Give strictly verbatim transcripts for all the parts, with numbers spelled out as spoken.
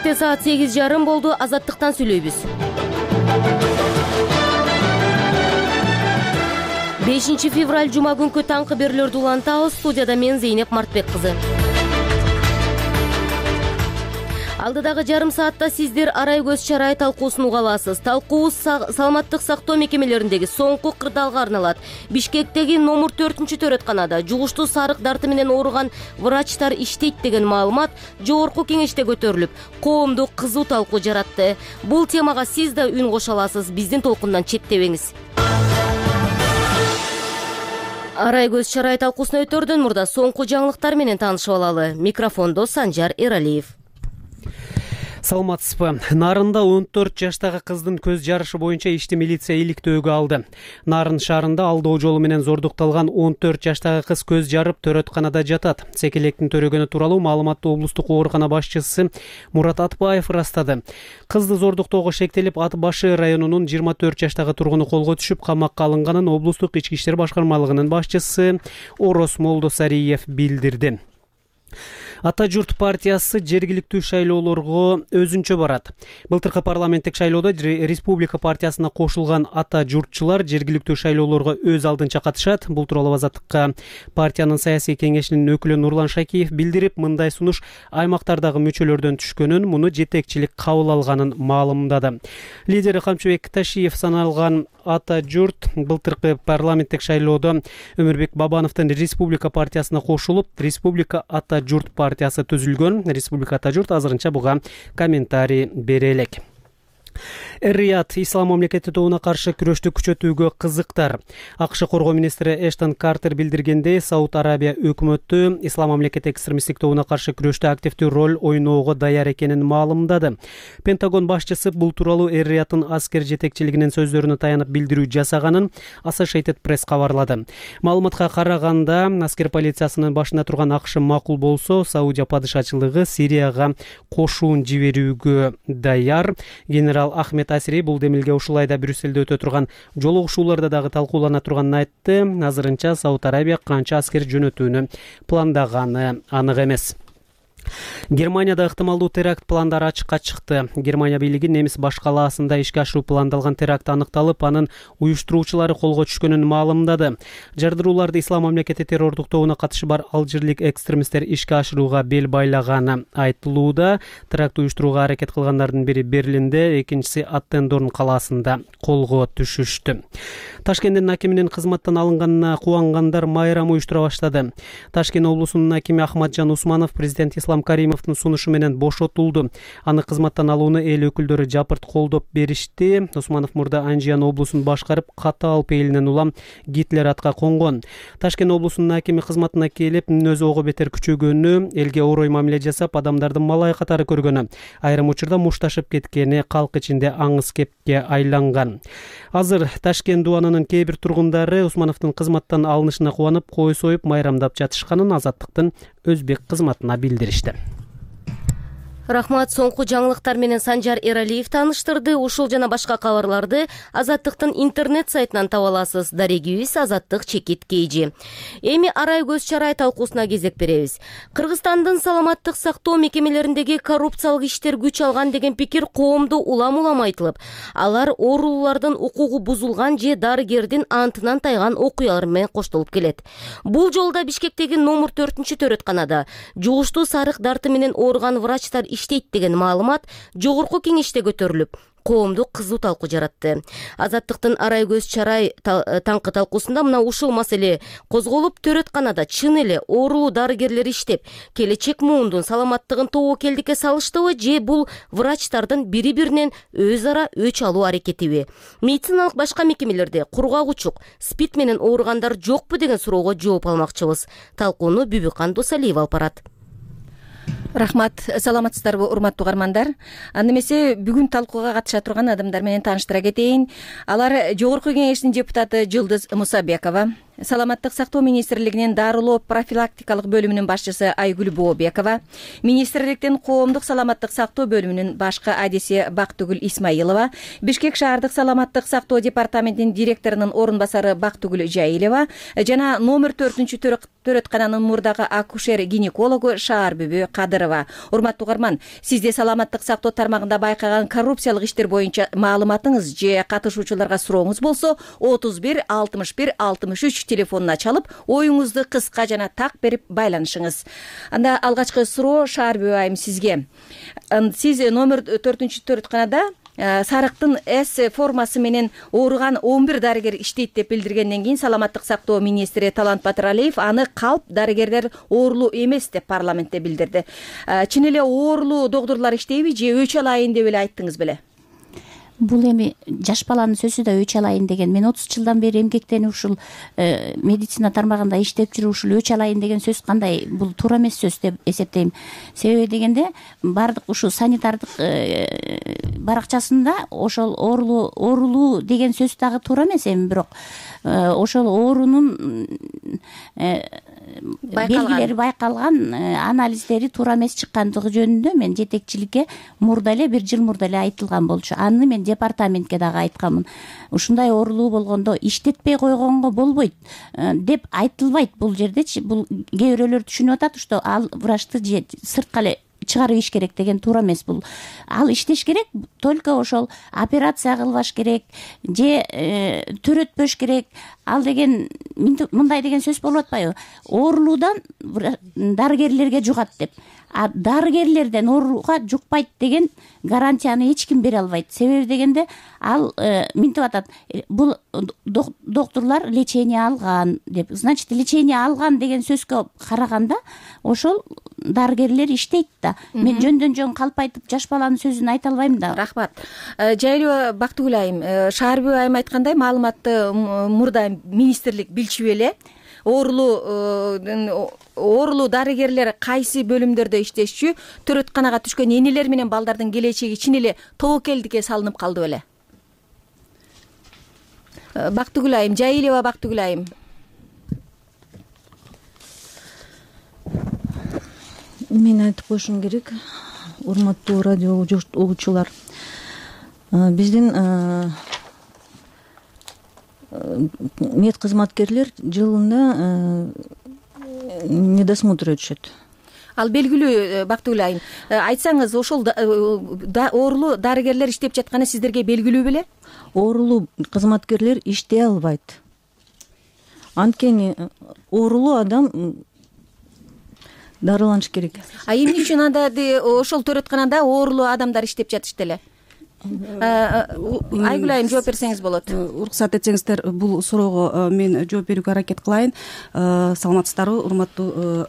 Кечээкте саат сегиз жарым болду. Азаттыктан сүйлөйбүз. бешинчи февраль жума күнкү таңкы берүүлөрдү улантабыз. Студияда мен Зейнеп Мартбек кызы. Алдыдагы жарым саатта сиздер арай көз чарай талкуусун уга аласыз. Талкуубуз саламаттык сактоо мекемелериндеги соңку кырдаалга арналат. Бишкектеги номер төртүнчү төрөтканада жугуштуу сарык дарты менен ооруган врачтар иштейт деген маалымат жогорку кеңеште көтөрүлүп, коомду кызуу талкуу жаратты. Бул темага сиз да үн кошо аласыз. Биздин толкундан четтебеңиз. Арай көз чарай талкуусуна өтөрдөн мурда соңку жаңылыктар менен таанышып алалы. Микрофондо Санжар Эралиев. Саламатсызбы. Нарында он төрт жаштагы кыздын көз жарышы боюнча ишти милиция иликтөөгө алды. Нарын шаарында алдоо жолу менен зордукталган он төрт жаштагы кыз көз жарып төрөтканада жатат. Секелектин төрөгөнү тууралуу маалыматты облустук оорукана башчысы Мурат Атбаев ырастады. Кызды зордуктоого шектелип, Ат башы районунун жыйырма төрт жаштагы тургуну колго түшүп, камакка алынганын облустук ички иштер башкармалыгынын башчысы Орос Молдосариев билдирди. Ата журт партиясы жергиликтүү шайлоолорго өзүнчө барат. Былтыркы парламенттик шайлоодо Республика партиясына кошулган ата журтчулар жергиликтүү шайлоолорго өз алдынча катышат. Бул тууралуу Азаттыкка партиянын саясий кеңешинин өкүлү Нурлан Шакиев билдирип, мындай сунуш аймактардагы мүчөлөрдөн түшкөнүн, муну жетекчилик кабыл алганын маалымдады. Лидери Камчыбек Ташиев саналган ата журт былтыркы парламенттик шайлоодо Өмүрбек Бабановдун Республика партиясына кошулуп, Республика ата журт партиясы түзүлгөн. Республика ата журт азырынча буга комментарий бере элек. Эр-Рияд ислам мамлекети тобуна каршы күрөштү күчөтүүгө кызыктар. АКШ коргоо министри Эштон Картер билдиргендей, Сауд Арабия өкмөтү ислам мамлекети экстремисттик тобуна каршы күрөштө активдүү роль ойноого даяр экенин маалымдады. Пентагон башчысы бул тууралуу Эр-Рияттын аскер жетекчилигинин сөздөрүнө таянып билдирүү жасаганын Associated Press кабарлады. Маалыматка караганда, аскер полициясынын башында турган АКШ макул болсо, Саудия падышачылыгы Сирияга кошуун жиберүүгө даяр. Генерал Ахмед Асири бул демилге ушул айда Брюсселде өтө турган жолугушууларда дагы талкуулана турганын айтты. Азырынча Сауд Арабия канча аскер жөнөтүүнү пландаганы анык эмес. Германияда ыктымалдуу теракт пландары ачыкка чыкты. Германия бийлиги немис баш калаасында ишке ашыруу пландалган теракт аныкталып, анын уюштуруучулары колго түшкөнүн маалымдады. Жардырууларды ислам мамлекети террордук тобуна катышы бар алжирлик экстремисттер ишке ашырууга бел байлаганы айтылууда. Теракт уюштурууга аракет кылгандардын бири Берлинде, экинчиси Аттендорн калаасында колго түшүштү. Ташкенттин акиминин кызматтан алынганына кубангандар майрам уюштура баштады. Ташкент облусунун акими Ахматжан Усманов президент Ислам Каримовдун сунушу менен бошотулду. Аны кызматтан алууну эл өкүлдөрү жапырт колдоп беришти. Усманов мурда Анжиян облусун башкарып, катаал пейилинен улам Гитлер атка конгон. Ташкент облусунун акими кызматына келип, өзү ого бетер күчөгөнү, элге орой мамиле жасап, адамдарды малай катары көргөнү, айрым учурда мушташып кеткени калк ичинде аңыз кепке айланган. Азыр Ташкент дубанынын кээ бир тургундары Усмановдун кызматтан алынышына кубанып, кой союп майрамдап жатышканын Азаттыктын Өзбек кызматына билдиришти. Рахмат, соңку жаңылыктар менен Санжар Эралиев тааныштырды. Ушул жана башка кабарларды Азаттыктын интернет сайтынан таба аласыз. Дарегибиз Азаттык чекит кейжи. Эми арай көз чарай талкуусуна кезек беребиз. Кыргызстандын саламаттык сактоо мекемелериндеги коррупциялык иштер күч алган деген пикир коомдо улам-улам айтылып, алар оорулуулардын укугу бузулган же дарыгердин антынан тайган окуялар менен коштолуп келет. Бул жолда Бишкектеги номер төртүнчү төрөтканада жугуштуу сарык дарты менен ооруган врачтар иштейт деген маалымат жогорку кеңеште көтөрүлүп, коомду кызуу талкуу жаратты. Азаттыктын арай көз чарай таңкы талкуусунда мына ушул маселе козголуп, төрөтканада чын эле оорулуу дарыгерлер иштеп, келечек муундун саламаттыгын тобокелдикке салыштыбы же бул врачтардын бири-биринен өз ара өч алуу аракетиби? Медициналык башка мекемелерде кургак-учук, спид менен ооругандар жокпу деген суроого жооп алмакчыбыз. Талкууну Бүбүкан Досалиева алып барат. Рахмат, саламатсыздарбы урматтуу угармандар. Анда эмесе бүгүн талкууга катыша турган адамдар менен тааныштыра кетейин. Алар Жогорку кеңештин депутаты Жылдыз Мусабекова, саламаттык сактоо министрлигинин дарылоо профилактикалык бөлүмүнүн башчысы Айгүл Бообекова, министрликтин коомдук саламаттык сактоо бөлүмүнүн башкы адиси Бактыгүл Исмаилова, Бишкек шаардык саламаттык сактоо департаментинин директорунун орун басары Бактыгүл Жайилова жана номер төртүнчү төрөткананын мурдагы акушер-гинекологу Шаарбүбү Кадырова. Урматтуу угарман, сизде саламаттык сактоо тармагында байкаган коррупциялык иштер боюнча маалыматыңыз же катышуучуларга сурооңуз болсо, отуз бир алтымыш бир алтымыш үч телефонуна чалып, оюңузду кыска жана так берип байланышыңыз. Анда алгачкы суроо Шаарбүбү айым сизге. Сиз номер төртүнчү төрөтканада сарыктын С формасы менен ооруган он бир дарыгер иштейт деп билдиргенден кийин саламаттык сактоо министри Талант Батыралиев аны калп дарыгерлер оорулуу эмес деп парламентте билдирди. Чын эле оорулуу доктурлар иштейби же өч алайын деп эле айттыңыз беле? Бул эми жаш баланын сөзү да өч алайын деген. Мен отуз жылдан бери эмгектенип ушул медицина тармагында иштеп жүрүп ушул өч алайын деген сөз кандай, бул туура эмес сөз деп эсептейм. Себеби дегенде баардык ушул санитардык баракчасында ошол оорулуу оорулуу деген сөз дагы туура эмес эми, бирок ошол оорунун белгилери байкалган, анализдери туура эмес чыккандыгы жөнүндө мен жетекчиликке мурда эле, бир жыл мурда эле айтылган болчу. Аны мен департаментке дагы айтканмын. Ушундай оорулуу болгондо иштетпей койгонго болбойт деп айтылбайт бул жердечи. Бул кээ бирөөлөр түшүнүп атат, что ал врачты же сыртка эле чыгарып иш керек деген туура эмес. Бул ал иштеш керек, только ошол операция кылбаш керек же төрөтпөш керек. Ал деген мындай деген сөз болуп атпайбы? Оорулуудан дарыгерлерге жугат деп. А дарыгерлерден ооруга жукпайт деген гарантияны эч ким бере албайт. Себеби дегенде ал минтип атат. Бул доктурлар лечение алган деп. Значит, лечение алган деген сөзгө караганда ошол дарыгерлер иштейт да. Мен жөндөн жөн калп айтып жаш баланын сөзүн айта албайм да. Рахмат. Жайылова Бактыгүл айым, Шаарбүбү айым айткандай, маалыматты мурда министрлик билчү эле. Оорулуу оорулуу дарыгерлер кайсы бөлүмдөрдө иштешчү, төрөтканага түшкөн энелер менен балдардын келечеги чын эле тобокелдикке салынып калды беле? Бактыгүл айым, Жайилова Бактыгүл айым. Мен айтып коюшум керек, урматтуу радио угуучулар. Биздин мед кызматкерлер жылына медосмотр өтүшөт. Ал белгилүү Бактыгүл айым. Айтсаңыз, ошол оорулуу дарыгерлер иштеп жатканы сиздерге белгилүү беле? Оорулуу кызматкерлер иштей албайт. Анткени оорулуу адам дарыланыш керек. А эмне үчүн анда ошол төрөтканада оорулуу адамдар иштеп жатышты эле? Айгүл айым, жооп берсеңиз болот. Уруксат этсеңиздер, бул суроого мен жооп берүүгө аракет кылайын. Саламатсыздарбы, урматтуу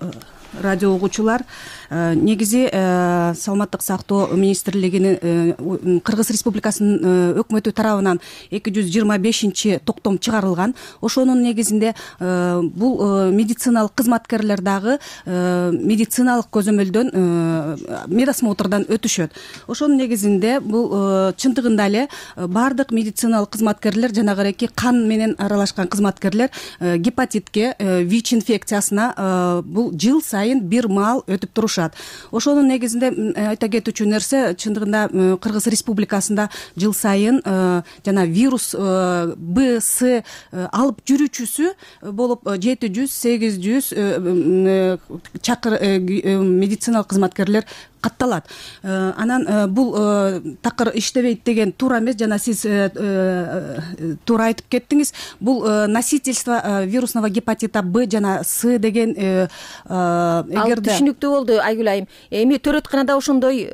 радио угуучулар. Негизи саламаттык сактоо министрлигинин Кыргыз Республикасынын өкмөтү тарабынан эки жүз жыйырма бешинчи токтом чыгарылган. Ошонун негизинде бул медициналык кызматкерлер дагы медициналык көзөмөлдөн медосмотрдан өтүшөт. Ошонун негизинде бул чындыгында эле баардык медициналык кызматкерлер, жанагы кан менен аралашкан кызматкерлер гепатитке, ВИЧ инфекциясына бул жыл сайын бир маал өтүп турушат. Ошонун негизинде айта кетүүчү нерсе, чындыгында Кыргыз Республикасында жыл сайын жана вирус Б, С алып жүрүүчүсү болуп жети жүз сегиз жүз чакыр медициналык кызматкерлер катталат. Анан бул такыр иштебейт деген туура эмес. Жана сиз туура айтып кеттиңиз. Бул носительство вирусного гепатита Б жана С деген эгерде түшүнүктүү болду Айгүл айым. Эми төрөтканада ошондой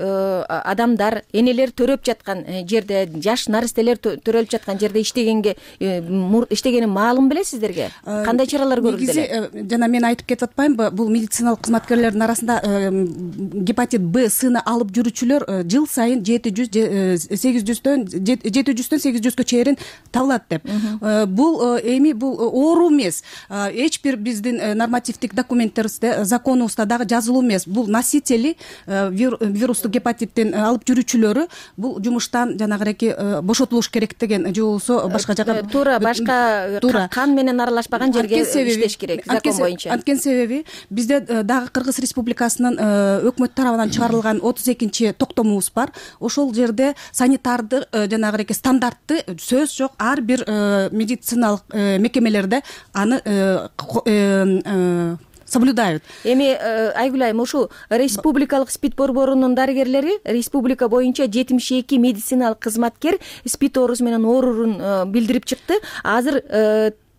адамдар, энелер төрөп жаткан жерде, жаш наристелер төрөлүп жаткан жерде иштегенге иштегени маалым беле сиздерге? Кандай чаралар көрүлдү эле? Жана мен айтып кетип атпаймынбы, бул медициналык кызматкерлердин арасында гепатит Б б сыны алып жүрүүчүлөр жыл сайын жети жүз сегиз жүздөн жети жүздөн сегиз жүзгө чейин табылат деп. Бул эми бул оору эмес, эч бир биздин нормативдик документтерибизде, законубузда дагы жазылуу эмес. Бул носители вирустук гепатиттин алып жүрүүчүлөрү бул жумуштан жанагыреки бошотулуш керек деген же болбосо башка жака туура башка кан менен аралашпаган жерге иштеш керек закон боюнча. Анткени себеби бизде дагы Кыргыз Республикасынын өкмөт тарабынан чыгарылган отуз экинчи токтомубуз бар. Ошол жерде санитарды жанагыреки стандартты сөз жок, ар бир медициналык мекемелерде аны соблюдают. Эми Айгүл айым, ушу республикалык СПИД борборунун дарыгерлери республика боюнча жетимиш эки медициналык кызматкер СПИД оорусу менен оорурун билдирип чыкты. Азыр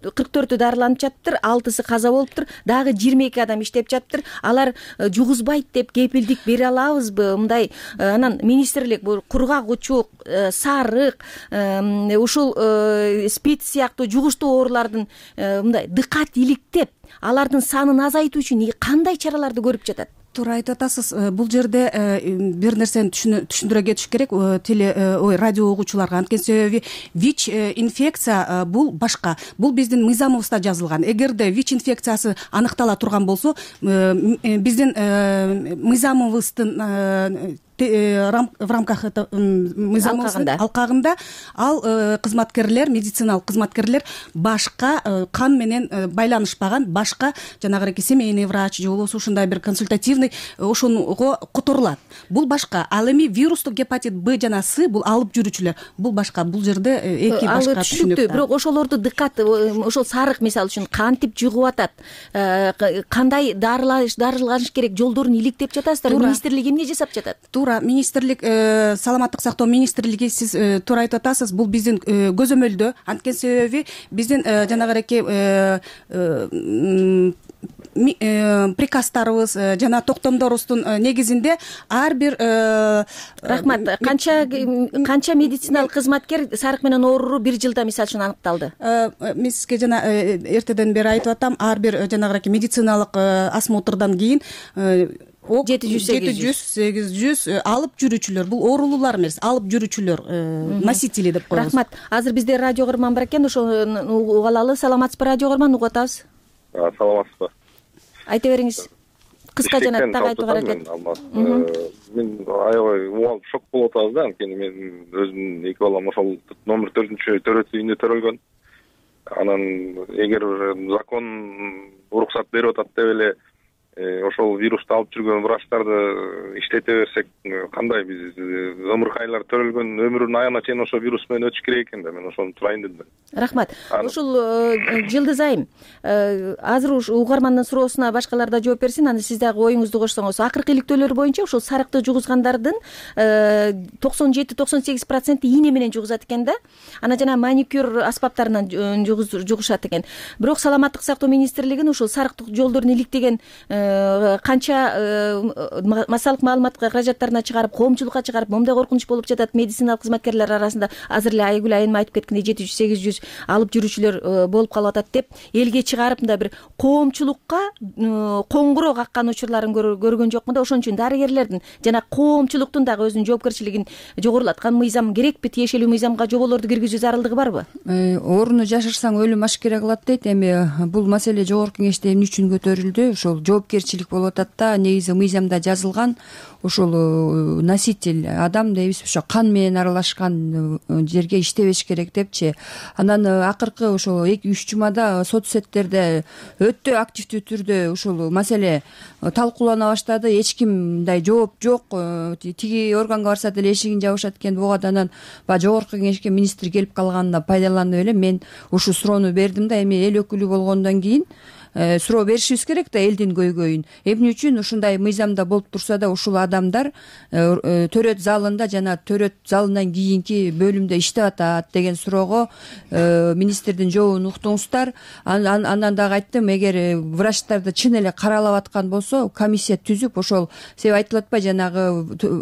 кырк төртү дарыланып жатыптыр, алтысы каза болуптур, дагы жыйырма эки адам иштеп жатыптыр. Алар жугузбайт деп кепилдик бере алабызбы? Мындай анан министрлик бул кургак учук, сарык, ушул СПИД сыяктуу жугуштуу оорулардын мындай дыкат иликтеп, алардын санын азайтуу үчүн кандай чараларды көрүп жатат? Туура айтып атасыз. Бул жерде бир нерсени түшүндүрө кетиш керек теле ой радио угуучуларга. Анткени себеби ВИЧ инфекция бул башка. Бул биздин мыйзамыбызда жазылган. Эгерде ВИЧ инфекциясы аныктала турган болсо, биздин мыйзамыбыздын в рамках мыйзамыбыздын алкагында ал кызматкерлер, медициналык кызматкерлер башка кан менен байланышпаган башка жанагыреки семейный врач же болбосо ушундай бир консультативный ошого которулат. Бул башка. Ал эми вирустук гепатит Б жана С бул алып жүрүүчүлөр. Бул башка. Бул жерде эки башка түшүнүк. Бирок ошолорду дыкат, ошол сарык мисалы үчүн кантип жугуп атат? Кандай дарылаш дарыланыш керек жолдорун иликтеп жатасыздар? Министрлик эмне жасап жатат? Министрлик, саламаттык сактоо министрлиги, сиз туура айтып атасыз, бул биздин көзөмөлдө. Анткени себеби биздин жанагыреки приказдарыбыз жана токтомдорубуздун негизинде ар бир рахмат канча канча медициналык кызматкер сарык менен ооруру бир жылда мисалы үчүн аныкталды? Мен сизге жана эртеден бери айтып атам, ар бир жанагыреки медициналык осмотрдан кийин жети жүз сегиз жүз алып жүрүүчүлөр, бул оорулуулар эмес, алып жүрүүчүлөр, носители деп коебуз. Рахмат. Азыр бизде радио көрман бар экен, ошону угуп алалы. Саламатсызбы, радио көрман, угуп атабыз. Саламатсызбы. Айта бериңиз. Кыска жана так айтууга аракет. Мен аябай уалып шок болуп атабыз да, анткени мен өзүмдүн эки балам ошол номер төртүнчү төрөт үйүндө төрөлгөн. Анан эгер закон уруксат берип атат деп эле ошол вирусту алып жүргөн врачтарды иштете берсек, кандай биз өмүркайлар төрөлгөн өмүрүнүн аягына чейин ошол вирус менен өтүш керек экен да. Мен ошону сурайын дедим. Рахмат. Ушул Жылдыз айым, азыр ушу угармандын суроосуна башкалар да жооп берсин, аны сиз дагы оюңузду кошсоңуз. Акыркы иликтөөлөр боюнча ушул сарыкты жугузгандардын токсон жети токсон сегиз проценти ийне менен жугузат экен да. Анан жана маникюр аспаптарынан жугушат экен. Бирок саламаттык сактоо министрлигин ушул сарыктык жолдорун иликтеген канча массалык маалыматка каражаттарына чыгарып, коомчулукка чыгарып, момундай коркунуч болуп жатат медициналык кызматкерлер арасында. Азыр эле Айгүл айым айтып кеткендей жети жүз сегиз жүз алып жүрүүчүлөр болуп калып атат деп элге чыгарып мындай бир коомчулукка коңгуроо каккан учурларын көргөн жокмун да. Ошон үчүн дарыгерлердин жана коомчулуктун дагы өзүнүн жоопкерчилигин жогорулаткан мыйзам керекпи, тиешелүү мыйзамга жоболорду киргизүү зарылдыгы барбы? Ооруну жашырсаң өлүм ашкере кылат дейт. Эми бул маселе жогорку кеңеште эмне үчүн көтөрүлдү? Ошол жоопкерчилик болуп атат да. Негизи мыйзамда жазылган ошол носитель адам дейбиз, ошо кан менен аралашкан жерге иштебеш керек депчи. Анан акыркы ошол эки үч жумада соцсеттерде өтө активдүү түрдө ушул маселе талкуулана баштады. Эч ким мындай жооп жок. Тиги органга барса деле эшигин жабышат экен. Буга анан баягы жогорку кеңешке министр келип калганына пайдаланып эле мен ушул суроону бердим да. Эми эл өкүлү болгондон кийин суроо беришибиз керек да элдин көйгөйүн. Эмне үчүн ушундай мыйзамда болуп турса да ушул адамдар төрөт залында жана төрөт залынан кийинки бөлүмдө иштеп атат деген суроого министрдин жообун уктуңуздар. Андан дагы айттым, эгер врачтарды чын эле каралап аткан болсо комиссия түзүп ошол себеп айтылып атпайбы, жанагы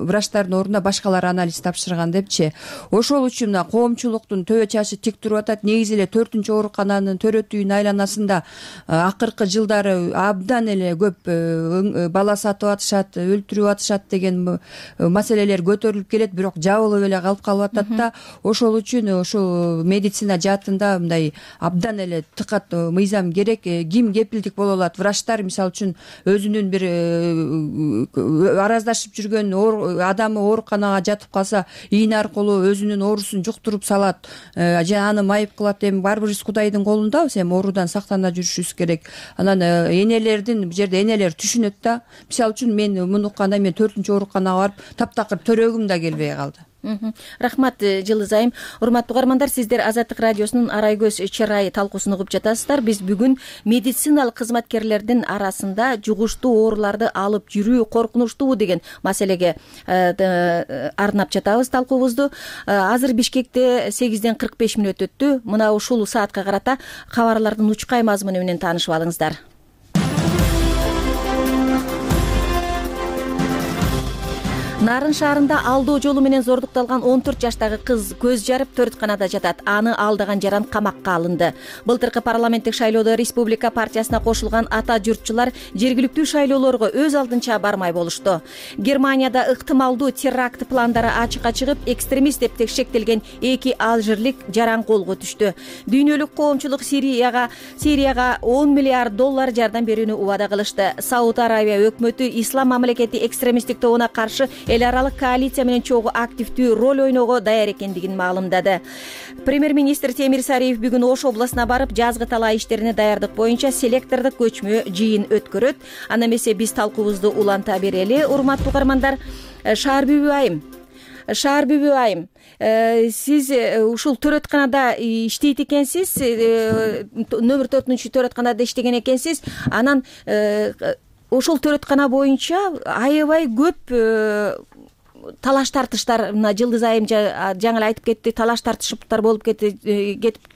врачтардын ордуна башкалар анализ тапшырган депчи. Ошол үчүн мына коомчулуктун төбө чашы тик туруп атат. Негизи эле төртүнчү оорукананын төрөт үйүнүн айланасында акыркы жылдары абдан эле көп бала сатып атышат, өлтүрүп атышат деген маселелер көтөрүлүп келет, бирок жабылып эле калып калып атат да. Ошол үчүн ушул медицина жаатында мындай абдан эле тыкат мыйзам керек. Ким кепилдик боло алат? Врачтар мисалы үчүн өзүнүн бир араздашып жүргөн адамы ооруканага жатып калса, ийне аркылуу өзүнүн оорусун жуктуруп салат же аны майып кылат. Эми баары бир Кудайдын колундабыз, эми оорудан сактана жүрүшүбүз керек. Анан энелердин бул жерде энелер түшүнөт да. Мисалы үчүн мен муну укканда мен төртүнчү ооруканага барып таптакыр төрөгүм да келбей калды. Рахмат Жылыз айым. Урматтуу угармандар, сиздер Азаттык радиосунун Арай көз чырайы талкуусун угуп жатасыздар. Биз бүгүн медициналык кызматкерлердин арасында жугуштуу ооруларды алып жүрүү коркунучтуубу деген маселеге арнап жатабыз талкуубузду. Азыр Бишкекте сегизден кырк беш мүнөт өттү. Мына ушул саатка карата кабарлардын учкай мазмуну менен таанышып алыңыздар. Нарын шаарында алдоо жолу менен зордукталган он төрт жаштагы кыз көз жарып төрөтканада жатат. Аны алдаган жаран камакка алынды. Былтыркы парламенттик шайлоодо Республика партиясына кошулган ата журтчулар жергиликтүү шайлоолорго өз алдынча бармай болушту. Германияда ыктымалдуу теракт пландары ачыкка чыгып, экстремист деп текшектелген эки алжирлик жаран колго түштү. Дүйнөлүк коомчулук Сирияга Сирияга он миллиард доллар жардам берүүнү убада кылышты. Сауд Арабия өкмөтү ислам мамлекети экстремисттик тобуна каршы эл аралык коалиция менен чогуу активдүү роль ойноого даяр экендигин маалымдады. Премьер-министр Темир Сариев бүгүн Ош областына барып, жазгы талаа иштерине даярдык боюнча селектордук көчмө жыйын өткөрөт. Анда эмесе биз талкуубузду уланта берели. Урматтуу угармандар, Шаар Бүбү айым, Шаар Бүбү айым, сиз ушул төрөтканада иштейт экенсиз, номер төртүнчү төрөтканада иштеген экенсиз. Анан ошол төрөткана боюнча аябай көп талаш тартыштар, мына Жылдыз айым жаңы эле айтып кетти, талаш тартышыптар болуп кетип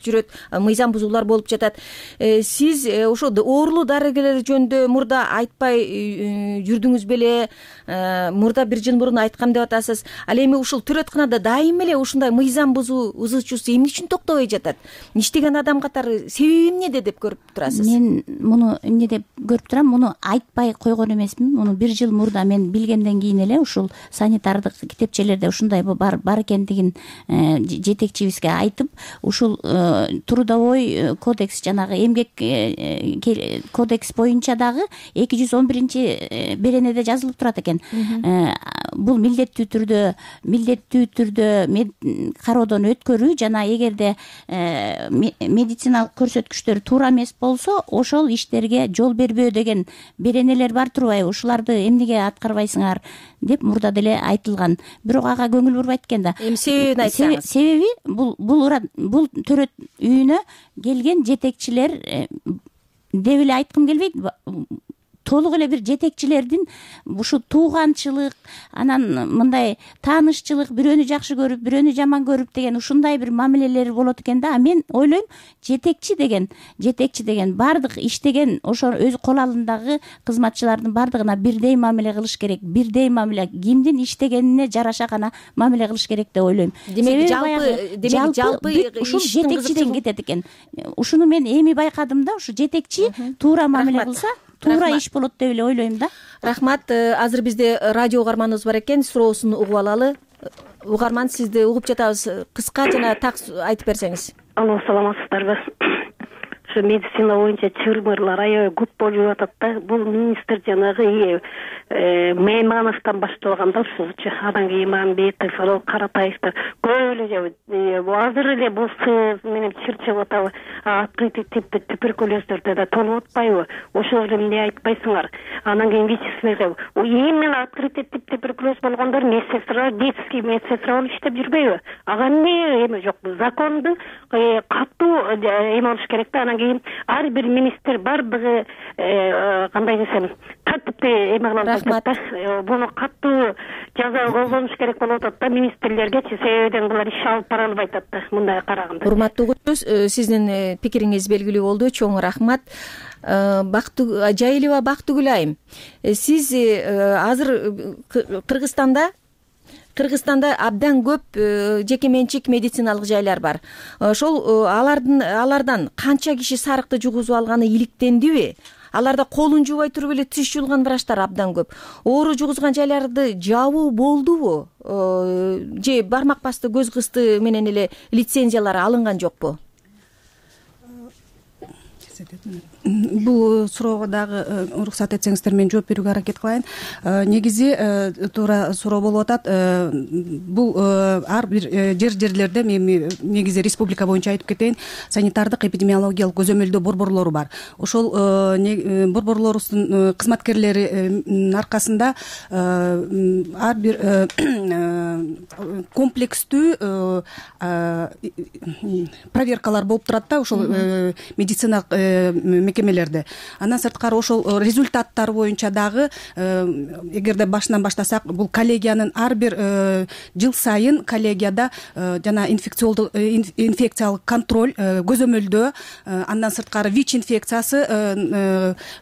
жүрөт, мыйзам бузуулар болуп жатат. Сиз ошо оорулуу дарыгерлер жөнүндө мурда айтпай жүрдүңүз беле? Мурда бир жыл мурун айткам деп атасыз. Ал эми ушул төрөтканада дайым эле ушундай мыйзам бузуучусу эмне үчүн токтобой жатат? Иштеген адам катары себеби эмнеде деп көрүп турасыз? Мен муну эмне деп көрүп турам? Муну айтпай койгон эмесмин. Муну бир жыл мурда мен билгенден кийин эле ушул санитардык китепчелерде ушундай бар бар экендигин жетекчибизге айтып, ушул трудовой кодекс, жанагы эмгек кодекс боюнча дагы эки жүз он биринчи беренеде жазылып турат экен. Бул милдеттүү түрдө милдеттүү түрдө кароодон өткөрүү жана эгерде медициналык көрсөткүчтөр туура эмес болсо, ошол иштерге жол бербөө деген беренелер бар турбайбы? Ушуларды эмнеге аткарбайсыңар деп мурда деле айтылган. Бирок ага көңүл бурбайт экен да. Эми себебин айтсаңыз. Себеби бул бул бул төрөт үйүнө келген жетекчилер деп эле айткым келбейт. Толук эле бир жетекчилердин ушу тууганчылык, анан мындай таанышчылык, бирөөнү жакшы көрүп, бирөөнү жаман көрүп деген ушундай бир мамилелери болот экен да. Мен ойлойм, жетекчи деген, жетекчи деген бардык иштеген ошо өз кол алындагы кызматчылардын бардыгына бирдей мамиле кылыш керек. Бирдей мамиле, кимдин иштегенине жараша гана мамиле кылыш керек деп ойлойм. Демек жалпы, демек жалпы ушул жетекчиден кетет экен. Ушуну мен эми байкадым да, ушу жетекчи туура мамиле кылса туура иш болот деп эле ойлойм да. Рахмат. Азыр бизде радио угарманыбыз бар экен, суроосун угуп алалы. Угарман, сизди угуп жатабыз. Кыска жана так айтып берсеңиз. Алло, саламатсыздарбы? Ушу медицина боюнча чырмырлар аябай көп болуп атат да. Бул министр жанагы Меймановдон башталган да ушулчу. Анан кийин Мамбетов, Каратаевдер көп эле азыр эле бул сыз менен чырчып атабы, открытый типти туберкулездерде да толуп атпайбы? Ошол эмне айтпайсыңар? Анан кийин вичественный именно открытый тип туберкулез болгондор медсестра, детский медсестра болуп иштеп жүрбөйбү? Ага эмне эме жокпу? Законду катуу эме болуш керек да. Анан кийин ар бир министр бардыгы кандай десем тартипти эме кылып атат да. Буну катуу жаза колдонуш керек болуп атат да министрлергечи, себебиден булар иш алып бара албай атат да мындай караганда. Урматтуу угуучубуз, сиздин пикириңиз белгилүү болду. Чоң рахмат. Жайылова Бактыгүл айым, сиз азыр Кыргызстанда Кыргызстанда абдан көп жеке менчик медициналык жайлар бар. Ошол алардын алардан канча киши сарыкты жугузуп алганы иликтендиби? Аларда колун жуубай туруп эле тиш жуулган врачтар абдан көп. Оору жугузган жайларды жабуу болдубу? Же бармак басты, көз кысты менен эле лицензиялары алынган жокпу? Бул суроого дагы уруксат этсеңиздер мен жооп берүүгө аракет кылайын. Негизи туура суроо болуп атат. Бул ар бир жер жерлерде мен негизи республика боюнча айтып кетейин, санитардык эпидемиологиялык көзөмөлдөө борборлору бар. Ошол борборлорубуздун кызматкерлеринин аркасында ар бир комплекстүү проверкалар болуп турат да, ошол медициналык мекемелерде. Андан сырткары ошол результаттар боюнча дагы эгерде башынан баштасак, бул коллегиянын ар бир жыл сайын коллегияда жана инфекциолдук инфекциялык контроль көзөмөлдөө, андан сырткары ВИЧ инфекциясы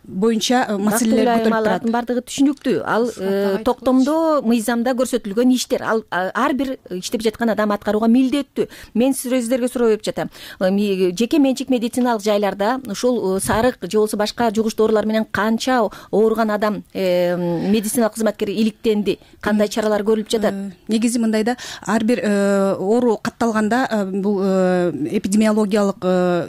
боюнча маселелер көтөрүлүп турат. Алардын бардыгы түшүнүктүү. Ал токтомдо, мыйзамда көрсөтүлгөн иштер. Ал ар бир иштеп жаткан адам аткарууга милдеттүү. Мен сиздерге суроо берип жатам. Жеке менчик медициналык жайларда ушул сарык же болбосо башка жугуш доорулар менен канча ооруган адам медициналык кызматкер иликтенди? Кандай чаралар көрүлүп жатат? Негизи мындай да, ар бир оору катталганда бул эпидемиологиялык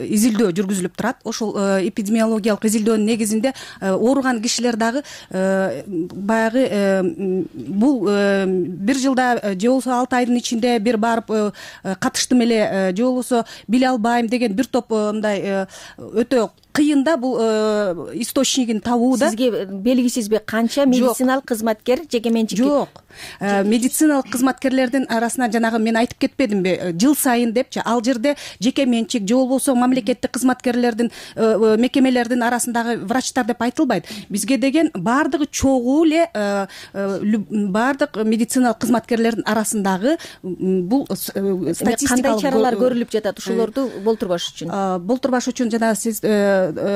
изилдөө жүргүзүлүп турат. Ошол эпидемиологиялык изилдөөнүн негизинде ооруган кишилер дагы баягы бул бир жылда же болбосо алты айдын ичинде бир барып катыштым эле же болбосо биле албайм деген бир топ мындай өтө кыйын да бул источнигин табуу да. Сизге белгисизби канча медициналык кызматкер жеке менчик? Жок. Медициналык кызматкерлердин арасына жанагы мен айтып кетпедимби, жыл сайын депчи, ал жерде жеке менчик же болбосо мамлекеттик кызматкерлердин мекемелердин арасындагы врачтар деп айтылбайт. Бизге деген бардыгы чогуу эле бардык медициналык кызматкерлердин арасындагы бул статистикалык кандай чаралар көрүлүп жатат ушулорду болтурбаш үчүн? Болтурбаш үчүн жана сиз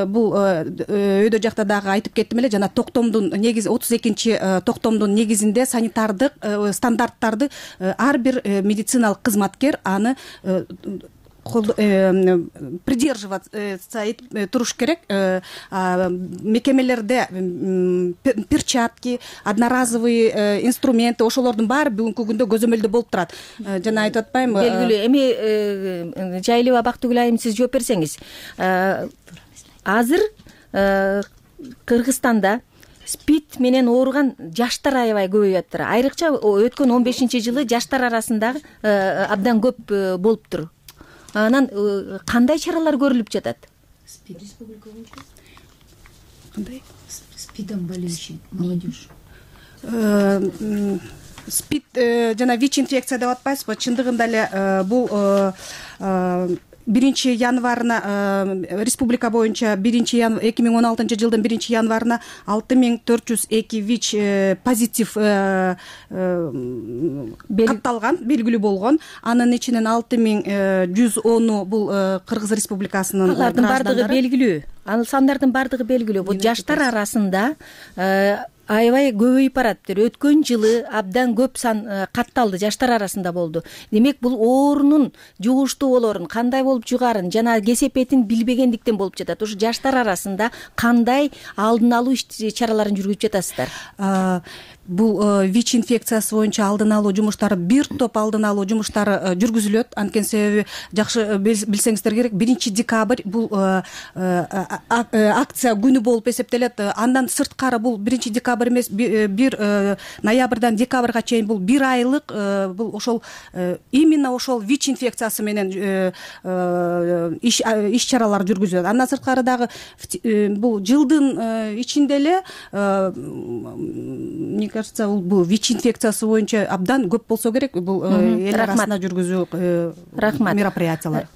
бул өйдө жакта дагы айтып кеттим эле, жана токтомдун негизи отуз экинчи токтомдун негизинде санитардык стандарттарды ар бир медициналык кызматкер аны придерживаться этип туруш керек. Мекемелерде перчатки, одноразовый инструменты, ошолордун баары бүгүнкү күндө көзөмөлдө болуп турат. Жана айтып атпаймынбы? Белгилүү. Эми жайлуу Бактыгүл айым, сиз жооп берсеңиз. Азыр Кыргызстанда спид менен ооруган жаштар аябай көбөйүп атыр. Айрыкча өткөн он бешинчи жылы жаштар арасында абдан көп болуптур. Анан кандай чаралар көрүлүп жатат? Спид республика боюнча кандай? Спидом болуучу молодежь. Спид жана ВИЧ инфекция деп атпайсызбы? Чындыгында эле бул биринчи январына республика боюнча биринчи эки миң он алтынчы жылдын биринчи январына алты миң төрт жүз эки ВИЧ позитив катталган, белгилүү болгон. Анын ичинен алты миң жүз ону бул Кыргыз Республикасынын алардын бардыгы белгилүү. Ал сандардын бардыгы белгилүү. Бул жаштар арасында аябай көбөйүп бараттыр. Өткөн жылы абдан көп сан катталды, жаштар арасында болду. Демек бул оорунун жугуштуу болорун, кандай болуп жугарын жана кесепетин билбегендиктен болуп жатат. Ушу жаштар арасында кандай алдын алуу чараларын жүргүзүп жатасыздар? Бул ВИЧ инфекциясы боюнча алдын алуу жумуштары, бир топ алдын алуу жумуштары жүргүзүлөт. Анткени себеби жакшы билсеңиздер керек, биринчи декабрь бул акция күнү болуп эсептелет. Андан сырткары бул биринчи декабрь эмес, бир ноябрдан декабрга чейин бул бир айлык бул ошол именно ошол ВИЧ инфекциясы менен иш чаралар жүргүзүлөт. Андан сырткары дагы бул жылдын ичинде эле кажется, бул ВИЧ инфекциясы боюнча абдан көп болсо керек бул эл арасында жүргүзүү мероприятиялар.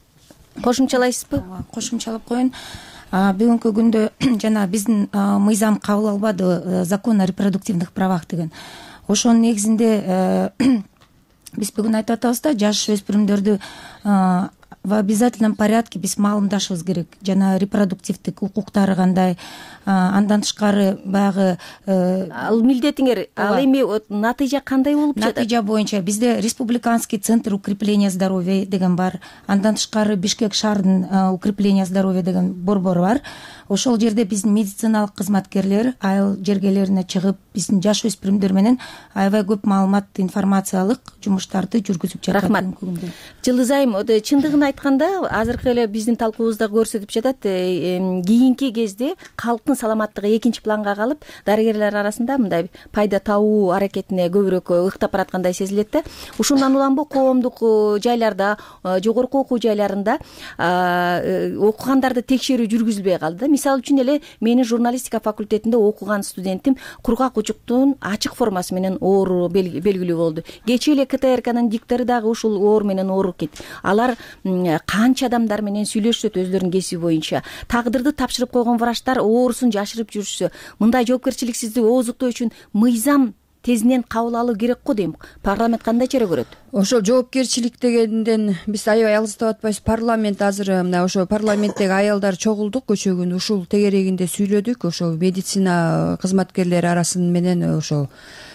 Кошумчалайсызбы? Кошумчалап коеюн. Бүгүнкү күндө жана биздин мыйзам кабыл албады, закон о репродуктивных правах деген. Ошонун негизинде биз бүгүн айтып атабыз да, жаш өспүрүмдөрдү в обязательном порядке биз маалымдашыбыз керек. Жана репродуктивдик укуктары кандай, андан тышкары баягы ал милдетиңер, ал эми натыйжа кандай болуп жатат? Натыйжа боюнча бизде республиканский центр укрепления здоровья деген бар. Андан тышкары Бишкек шаарынын укрепление здоровья деген борбору бар. Ошол жерде биздин медициналык кызматкерлер айыл жергелерине чыгып, биздин жаш өспүрүмдөр менен аябай көп маалымат, информациялык жумуштарды жүргүзүп жатат. Рахмат. Жылдыз айым, чындыгын айтканда азыркы эле биздин талкуубузда көрсөтүп жатат, кийинки кезде калктын саламаттыгы экинчи планга калып, дарыгерлер арасында мындай пайда табуу аракетине көбүрөөк ыктап бараткандай сезилет да. Ушундан улам коомдук жайларда, жогорку окуу жайларында окугандарды текшерүү жүргүзүлбөй калды. Мисалы үчүн эле менин журналистика факультетинде окуган студентим кургак учуктун ачык формасы менен оору белгилүү болду. Кечээ эле КТРКнын диктори дагы ушул оор менен ооруп кетти. Алар канча адамдар менен сүйлөшөт өзлөрүнүн кесиби боюнча. Тагдырды тапшырып койгон врачтар оорусун жашырып жүрүшсө, мындай жоопкерчиликсиздик ооздуктоо үчүн мыйзам тезинен кабыл алуу керек го дейм. Парламент кандай чара көрөт? Ошол жоопкерчилик дегенден биз аябай алыстап атпайбыз. Парламент азыр мына ошо парламенттеги аялдар чогулдук, көчө күнү ушул тегерегинде сүйлөдүк. Ошол медицина кызматкерлери арасында менен ошол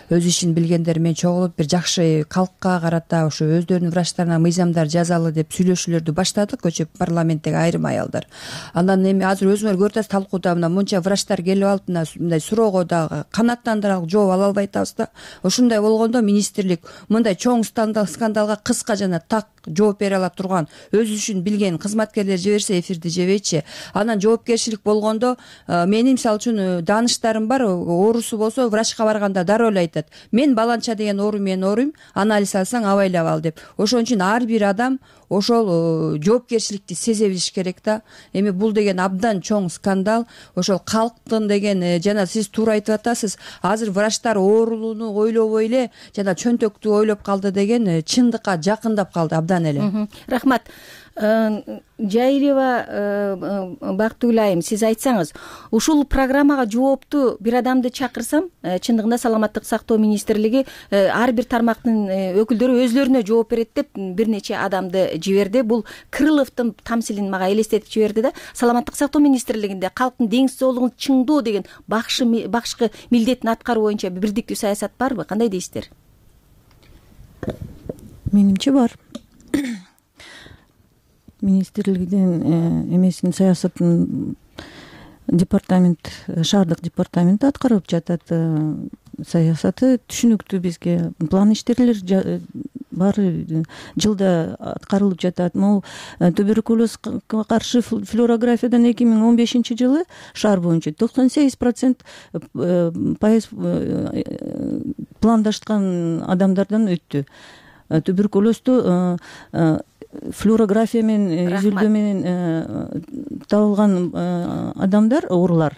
өз ишин билгендер менен чогулуп, бир жакшы калкка карата ошо өздөрүнүн врачтарына мыйзамдар жазалы деп сүйлөшүүлөрдү баштадык көчө парламенттеги айрым аялдар. Андан эми азыр өзүңөр көрүп атасыз, талкууда мына мынча врачтар келип алып, мындай суроого дагы канааттандырарлык жооп ала албай атабыз да. Ошондой болгондо министрлик мындай чоң скандалга кыска жана так жооп бере ала турган, өз ишин билген кызматкерлер жиберсе эфирди жебейчи. Анан жоопкерчилик болгондо менин мисалы үчүн дааныштарым бар, оорусу болсо врачка барганда дароо эле айтат: мен баланча деген оору менен ооруйм, анализ алсаң абайлап ал деп. Ошон үчүн ар бир адам ошол жоопкерчиликти сезе билиш керек да. Эми бул деген абдан чоң скандал. Ошол калктын деген, жана сиз туура айтып атасыз, азыр врачтар оорулууну ойлобой эле жана чөнтөктү ойлоп калды деген чындыкка жакындап калды абдан эле. Рахмат. Жайылева Бактыгүл айым, сиз айтсаңыз, ушул программага жоопту бир адамды чакырсам, чындыгында саламаттык сактоо министрлиги ар бир тармактын өкүлдөрү өзлөрүнө жооп берет деп бир нече адамды жиберди. Бул Крыловдун тамсилин мага элестетип жиберди да. Саламаттык сактоо министрлигинде калктын деңиз соолугун чыңдоо деген башкы милдетин аткаруу боюнча бирдиктүү саясат барбы? Кандай дейсиздер? Менимче бар. Министрлигдин эмесин саясатын департамент, шаардык департамент аткарып жатат. Саясаты түшүнүктүү бизге. План иштерлер баары жылда аткарылып жатат. Могу туберкулезге каршы флюорографиядан эки миң он бешинчи жылы шаар боюнча токсон сегиз процент пайыз пландашкан адамдардан өттү. Туберкулездүү флюорография менен, изилдөө менен табылган адамдар, оорулар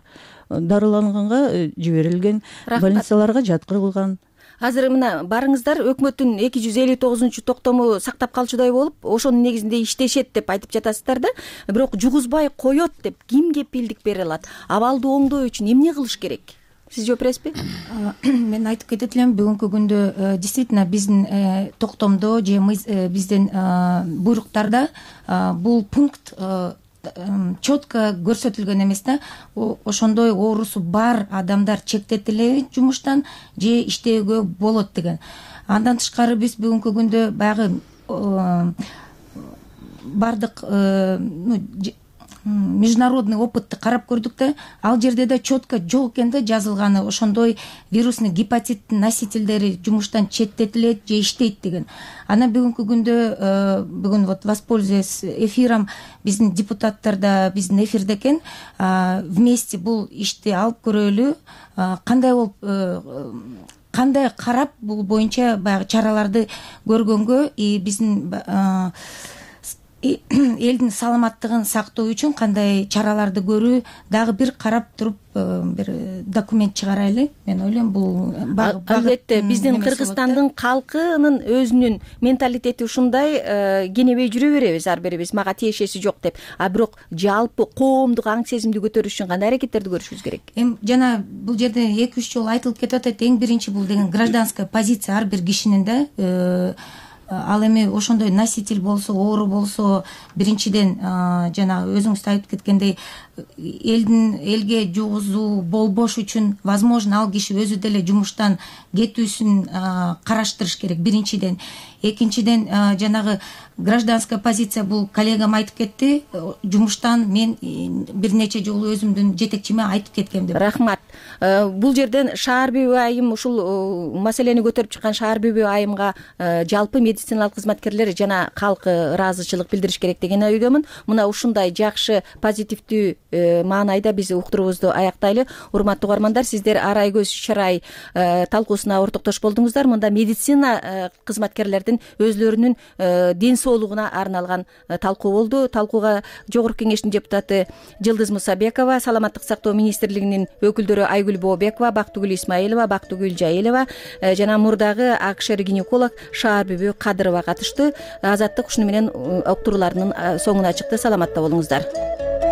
дарыланганга жиберилген, больницаларга жаткырылган. Азыр мына барыңыздар, өкмөттүн эки жүз элүү тогузунчу токтому сактап калчудай болуп, ошонун негизинде иштешет деп айтып жатасыздар да. Бирок жугузбай коет деп ким кепилдик бере алат? Абалды оңдоо үчүн эмне кылыш керек? Сиз жооп бересизби? Мен айтып кетет элем, бүгүнкү күндө действительно биздин токтомдо же биздин буйруктарда бул пункт четко көрсөтүлгөн эмес да. Ошондой оорусу бар адамдар чектетилеби жумуштан же иштөөгө болот деген. Андан тышкары биз бүгүнкү күндө баягы бардык международный опытты карап көрдүк да. Ал жерде да четко жок экен да жазылганы, ошондой вирусный гепатиттин носительдери жумуштан четтетилет же иштейт деген. Анан бүгүнкү күндө бүгүн вот воспользуясь эфиром, биздин депутаттар да биздин эфирде экен, вместе бул ишти алып көрөлү, кандай болуп кандай карап бул боюнча баягы чараларды көргөнгө, и биздин элдин саламаттыгын сактоо үчүн кандай чараларды көрүү дагы бир карап туруп бир документ чыгарайлы. Мен ойлойм бул албетте биздин Кыргызстандын калкынын өзүнүн менталитети ушундай, кенебей жүрө беребиз ар бирибиз, мага тиешеси жок деп. А бирок жалпы коомдук аң сезимди көтөрүш үчүн кандай аракеттерди көрүшүбүз керек? Эми жана бул жерде эки үч жолу айтылып кетип атат. Эң биринчи бул деген гражданская позиция ар бир кишинин да. ал эми ошондой носитель болсо, оору болсо, биринчиден жанагы өзүңүз айтып кеткендей элдин элге жугузуу болбош үчүн возможно ал киши өзү деле жумуштан кетүүсүн караштырыш керек биринчиден. Экинчиден жанагы гражданская позиция, бул коллегам айтып кетти, жумуштан мен бир нече жолу өзүмдүн жетекчиме айтып кеткем деп. Рахмат. Бул жерден шаар бүбү айым ушул маселени көтөрүп чыккан шаар бүбү айымга жалпы медициналык кызматкерлер жана калк ыраазычылык билдириш керек деген ойдомун. Мына ушундай жакшы позитивдүү маанайда биз уктуруубузду аяктайлы. Урматтуу угармандар, сиздер Арай көз чарай талкуусуна ортоктош болдуңуздар. Мында медицина кызматкерлердин өзлөрүнүн ден соолугуна арналган талкуу болду. Талкууга Жогорку Кеңештин депутаты Жылдыз Мусабекова, Саламаттык сактоо министрлигинин өкүлдөрү Айгүл Бообекова, Бактыгүл Исмаилова, Бактыгүл Жайылова жана мурдагы акшер гинеколог Шаар бүбү Кадырова катышты. Азаттык ушуну менен уктурууларынын соңуна чыкты. Саламатта болуңуздар.